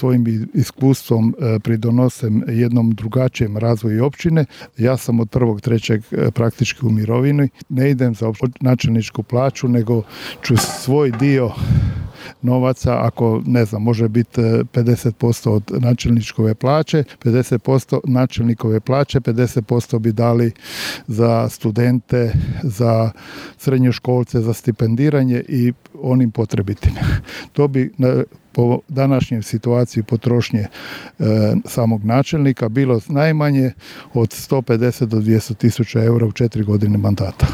svojim iskustvom pridonose jednom drugačijem razvoju općine. Ja sam od 1.3. praktički u mirovini. Ne idem za načelničku plaću, nego ću svoj dio novaca, ako ne znam, može biti 50% od načelničkove plaće, 50% načelnikove plaće, 50% bi dali za studente, za srednjoškolce, za stipendiranje i onim potrebitim. To bi po današnjoj situaciji potrošnje samog načelnika bilo najmanje od 150 do 200 tisuća eura u 4 godine mandata.